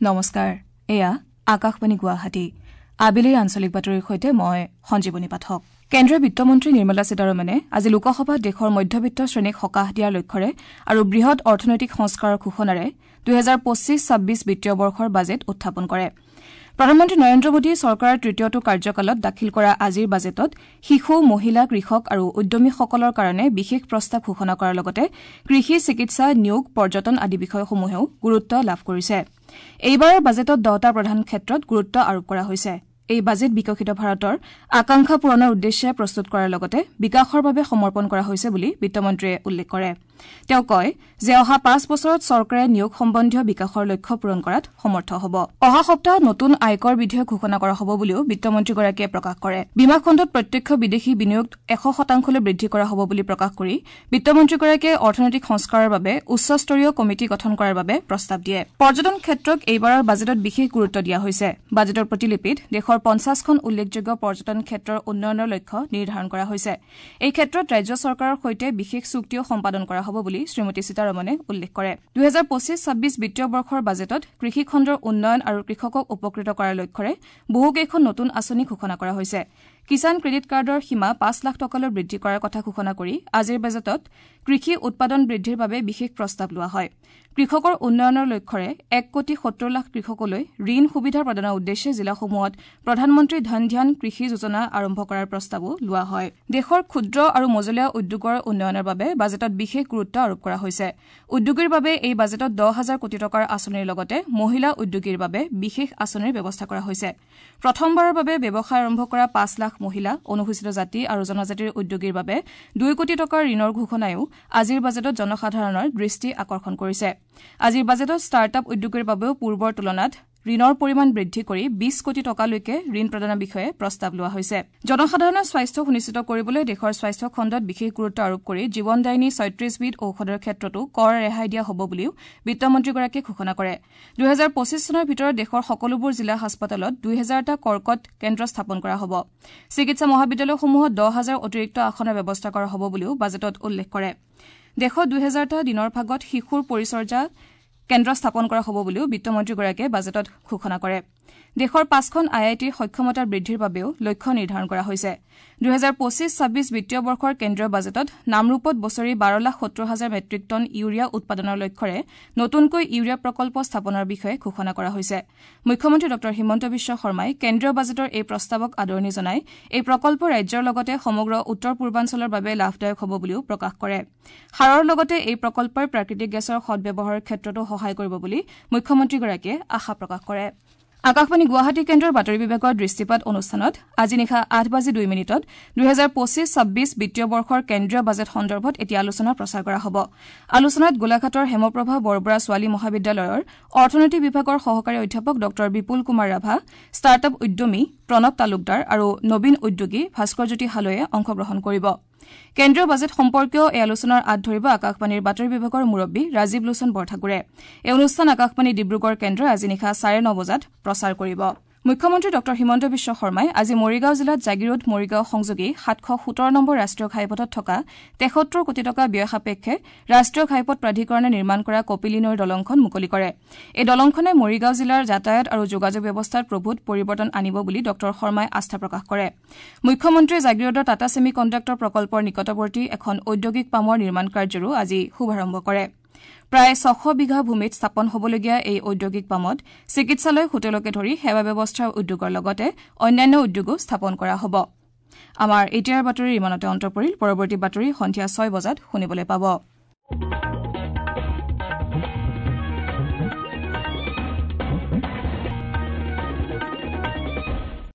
নমস্কাৰ, এয়া আকাশবাণী গুৱাহাটী। আবেলিৰ আঞ্চলিক বাতৰিৰ সৈতে মই সঞ্জীৱনী পাঠক। কেন্দ্ৰীয় বিত্তমন্ত্ৰী নিৰ্মলা সীতাৰমণে আজি লোকসভাত দেশৰ মধ্যবিত্ত শ্ৰেণীক সকাহ দিয়াৰ লক্ষ্যৰে আৰু বৃহৎ অৰ্থনৈতিক সংস্কাৰৰ ঘোষণাৰে ২০২৫-২৬ বিত্তীয় বৰ্ষৰ বাজেট উত্থাপন কৰে। প্ৰধানমন্ত্ৰী নৰেন্দ্ৰ মোদীয়ে চৰকাৰৰ তৃতীয়টো কাৰ্যকালত দাখিল কৰা আজিৰ বাজেটত শিশু, মহিলা, কৃষক আৰু উদ্যমীসকলৰ কাৰণে বিশেষ প্ৰস্তাৱ ঘোষণা কৰাৰ লগতে কৃষি, চিকিৎসা, নিয়োগ, পৰ্যটন আদি বিষয়সমূহেও গুৰুত্ব লাভ কৰিছে। এইবাৰৰ বাজেটত দহটা প্ৰধান ক্ষেত্ৰত গুৰুত্ব আৰোপ কৰা হৈছে। এই বাজেট বিকশিত ভাৰতৰ আকাংক্ষা পূৰণৰ উদ্দেশ্যে প্ৰস্তুত কৰাৰ লগতে বিকাশৰ বাবে সমৰ্পণ কৰা হৈছে বুলি বিত্তমন্ত্ৰীয়ে উল্লেখ কৰে। তেওঁ কয় যে অহা ৫ বছৰত চৰকাৰে নিয়োগ সম্বন্ধীয় বিকাশৰ লক্ষ্য পূৰণ কৰাত সমৰ্থ হ'ব। অহা সপ্তাহত নতুন আয়কৰ বিধেয়ক ঘোষণা কৰা হ'ব বুলিও বিত্তমন্ত্ৰীগৰাকীয়ে প্ৰকাশ কৰে। বীমা খণ্ডত প্ৰত্যক্ষ বিদেশী বিনিয়োগ ১০০% বৃদ্ধি কৰা হ'ব বুলি প্ৰকাশ কৰি বিত্তমন্ত্ৰীগৰাকীয়ে অৰ্থনৈতিক সংস্কাৰৰ বাবে উচ্চস্তৰীয় কমিটি গঠন কৰাৰ বাবে প্ৰস্তাৱ দিয়ে। পৰ্যটন ক্ষেত্ৰক এইবাৰৰ বাজেটত বিশেষ গুৰুত্ব দিয়া হৈছে। বাজেটৰ প্ৰতিলিপিত দেশৰ ৫০খন উল্লেখযোগ্য পৰ্যটন ক্ষেত্ৰৰ উন্নয়নৰ লক্ষ্য নিৰ্ধাৰণ কৰা হৈছে। এই ক্ষেত্ৰত ৰাজ্য চৰকাৰৰ সৈতে বিশেষ চুক্তিও সম্পাদন কৰা হ'ব বুলি শ্ৰীমতী সীতাৰমণে উল্লেখ কৰে। ২০২৫-২৬ বিত্তীয় বৰ্ষৰ বাজেটত কৃষি খণ্ডৰ উন্নয়ন আৰু কৃষকক উপকৃত কৰাৰ লক্ষ্যৰে বহুকেইখন নতুন আঁচনি ঘোষণা কৰা হৈছে। কিষাণ ক্ৰেডিট কাৰ্ডৰ সীমা ৫ লাখ টকালৈ বৃদ্ধি কৰাৰ কথা ঘোষণা কৰি আজিৰ বাজেটত কৃষি উৎপাদন বৃদ্ধিৰ বাবে বিশেষ প্ৰস্তাৱ লোৱা হয়। কৃষকৰ উন্নয়নৰ লক্ষ্যৰে ১ কোটি ৭০ লাখ কৃষকলৈ ঋণ সুবিধা প্ৰদানৰ উদ্দেশ্যে জিলাসমূহত প্ৰধানমন্ত্ৰী ধন ধ্যান কৃষি যোজনা আৰম্ভ কৰাৰ প্ৰস্তাৱো লোৱা হয়। দেশৰ ক্ষুদ্ৰ আৰু মজলীয়া উদ্যোগৰ উন্নয়নৰ বাবে বাজেটত বিশেষ গুৰুত্ব আৰোপ কৰা হৈছে। উদ্যোগীৰ বাবে এই বাজেটত ১০ হাজাৰ কোটি টকাৰ আঁচনিৰ লগতে মহিলা উদ্যোগীৰ বাবে বিশেষ আঁচনিৰ ব্যৱস্থা কৰা হৈছে। প্ৰথমবাৰৰ বাবে ব্যৱসায় আৰম্ভ কৰা ৫ লাখ মহিলা, অনুসূচিত জাতি আৰু জনজাতিৰ উদ্যোগীৰ বাবে ২ কোটি টকাৰ ঋণৰ ঘোষণাইও আজিৰ বাজেটত জনসাধাৰণৰ দৃষ্টি আকৰ্ষণ কৰিছে। আজিৰ বাজেটত ষ্টাৰ্টআপ উদ্যোগীৰ বাবেও পূৰ্বৰ তুলনাত ঋণৰ পৰিমাণ বৃদ্ধি কৰি ২০ কোটি টকালৈকে ঋণ প্ৰদানৰ বিষয়ে প্ৰস্তাৱ লোৱা হৈছে। জনসাধাৰণৰ স্বাস্থ্য সুনিশ্চিত কৰিবলৈ দেশৰ স্বাস্থ্য খণ্ডত বিশেষ গুৰুত্ব আৰোপ কৰি জীৱনদায়িনী ৩৬বিধ ঔষধৰ ক্ষেত্ৰতো কৰ ৰেহাই দিয়া হ'ব বুলিও বিত্তমন্ত্ৰীগৰাকীয়ে ঘোষণা কৰে। ২০২৫ চনৰ ভিতৰত দেশৰ সকলোবোৰ জিলা হাস্পতালত ২০০০টা কৰ্কট কেন্দ্ৰ স্থাপন কৰা হ'ব। চিকিৎসা মহাবিদ্যালয়সমূহত ১০ হাজাৰ অতিৰিক্ত আসনৰ ব্যৱস্থা কৰা হ'ব বুলিও বাজেটত উল্লেখ কৰে। দেশত ২০০০টা দিনৰ ভাগত শিশুৰ পৰিচৰ্যা কেন্দ্ৰ স্থাপন কৰা হ'ব বুলিও বিত্তমন্ত্ৰীগৰাকীয়ে বাজেটত ঘোষণা কৰে। দেশৰ ৫খন আই আই টিৰ সক্ষমতা বৃদ্ধিৰ বাবেও লক্ষ্য নিৰ্ধাৰণ কৰা হৈছে। ২০২৫-২৬ বিত্তীয় বৰ্ষৰ কেন্দ্ৰীয় বাজেটত নামৰূপত বছৰি ১২,৭০,০০০ মেট্ৰিক টন ইউৰিয়া উৎপাদনৰ লক্ষ্যৰে নতুনকৈ ইউৰিয়া প্ৰকল্প স্থাপনৰ বিষয়ে ঘোষণা কৰা হৈছে। মুখ্যমন্ত্ৰী ডঃ হিমন্ত বিশ্ব শৰ্মাই কেন্দ্ৰীয় বাজেটৰ এই প্ৰস্তাৱক আদৰণি জনাই এই প্ৰকল্প ৰাজ্যৰ লগতে সমগ্ৰ উত্তৰ পূৰ্বাঞ্চলৰ বাবে লাভদায়ক হ'ব বুলিও প্ৰকাশ কৰে। সাৰৰ লগতে এই প্ৰকল্পই প্ৰাকৃতিক গেছৰ সদ্ব্যৱহাৰৰ ক্ষেত্ৰতো সহায় কৰিব বুলি মুখ্যমন্ত্ৰীগৰাকীয়ে আশা প্ৰকাশ কৰে। আকাশবাণী গুৱাহাটী কেন্দ্ৰৰ বাতৰি বিভাগৰ দৃষ্টিপাত অনুষ্ঠানত আজি নিশা ৮:০২ ২০২৫-২৬ বিত্তীয় বৰ্ষৰ কেন্দ্ৰীয় বাজেট সন্দৰ্ভত এটি আলোচনা প্ৰচাৰ কৰা হ'ব। আলোচনাত গোলাঘাটৰ হেমপ্ৰভা বৰবৰা ছোৱালী মহাবিদ্যালয়ৰ অৰ্থনীতি বিভাগৰ সহকাৰী অধ্যাপক ডঃ বিপুল কুমাৰ ৰাভা, ষ্টাৰ্টআপ উদ্যমী প্ৰণৱ তালুকদাৰ আৰু নবীন উদ্যোগী ভাস্কৰজ্যোতি হালৈয়ে অংশগ্ৰহণ কৰিব। কেন্দ্ৰীয় বাজেট সম্পৰ্কীয় এই আলোচনাৰ আঁত ধৰিব আকাশবাণীৰ বাতৰি বিভাগৰ মুৰব্বী ৰাজীৱ লোচন বৰঠাকুৰে। এই অনুষ্ঠান আকাশবাণী ডিব্ৰুগড় কেন্দ্ৰই আজি নিশা ৯:৩০ বজাত প্ৰচাৰ কৰিব। মুখ্যমন্ত্ৰী ডঃ হিমন্ত বিশ্ব শৰ্মাই আজি মৰিগাঁও জিলাত জাগীৰোড মৰিগাঁও সংযোগী ৭১৭ নম্বৰ ৰাষ্ট্ৰীয় ঘাইপথত থকা ৭৩ কোটি টকা ব্যয় সাপেক্ষে ৰাষ্ট্ৰীয় ঘাইপথ প্ৰাধিকৰণে নিৰ্মাণ কৰা কপিলী নৈৰ দলংখন মুকলি কৰে। এই দলংখনে মৰিগাঁও জিলাৰ যাতায়াত আৰু যোগাযোগ ব্যৱস্থাত প্ৰভূত পৰিৱৰ্তন আনিব বুলি ডঃ শৰ্মাই আস্থা প্ৰকাশ কৰে। মুখ্যমন্ত্ৰীয়ে জাগীৰোডৰ টাটা ছেমি কণ্ডাক্টৰ প্ৰকল্পৰ নিকটৱৰ্তী এখন ঔদ্যোগিক পামৰ নিৰ্মাণ কাৰ্যৰো আজি শুভাৰম্ভ কৰে। প্ৰায় ৬০০ বিঘা ভূমিত স্থাপন হ'বলগীয়া এই ঔদ্যোগিক পামত চিকিৎসালয়, হোটেলকে ধৰি সেৱা ব্যৱস্থাৰ উদ্যোগৰ লগতে অন্যান্য উদ্যোগো স্থাপন কৰা হ'ব। আমাৰ এতিয়াৰ বাতৰি ইমানতে অন্ত পৰিল। পৰৱৰ্তী বাতৰি সন্ধিয়া ৬ বজাত শুনিবলৈ পাব।